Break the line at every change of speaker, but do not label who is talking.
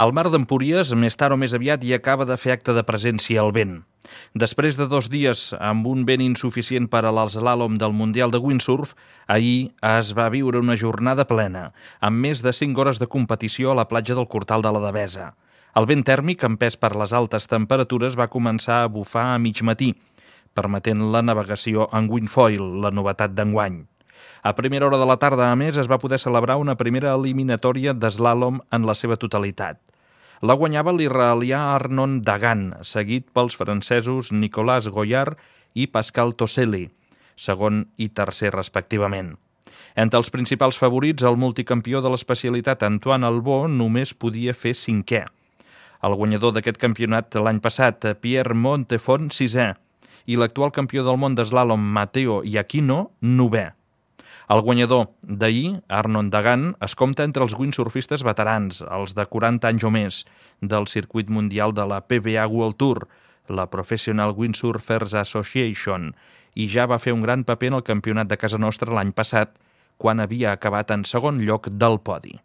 El mar d'Empúries, més tard o més aviat, hi acaba de fer acte de presència al vent. Després de 2 dies amb un vent insuficient per a l'eslàlom del Mundial de Windsurf, ahir es va viure una jornada plena, amb més de 5 hores de competició a la platja del Cortal de la Devesa. El vent tèrmic, empès per les altes temperatures, va començar a bufar a mig matí, permetent la navegació en windfoil, la novetat d'enguany. A primera hora de la tarda, a més, es va poder celebrar una primera eliminatòria d'eslàlom en la seva totalitat. La guanyava l'israelià Arnon Dagan, seguit pels francesos Nicolas Goyard i Pascal Toseli, segon i tercer respectivament. Entre els principals favorits, el multicampió de l'especialitat Antoine Albó només podia fer 5è. El guanyador d'aquest campionat l'any passat, Pierre Montefort, 6è, i l'actual campió del món d'eslàlom Matteo Iachino, 9è. El guanyador d'ahir, Arnon Dagan, es compta entre els windsurfistes veterans, els de 40 anys o més, del circuit mundial de la PBA World Tour, la Professional Windsurfers Association, i ja va fer un gran paper en el campionat de casa nostra l'any passat, quan havia acabat en segon lloc del podi.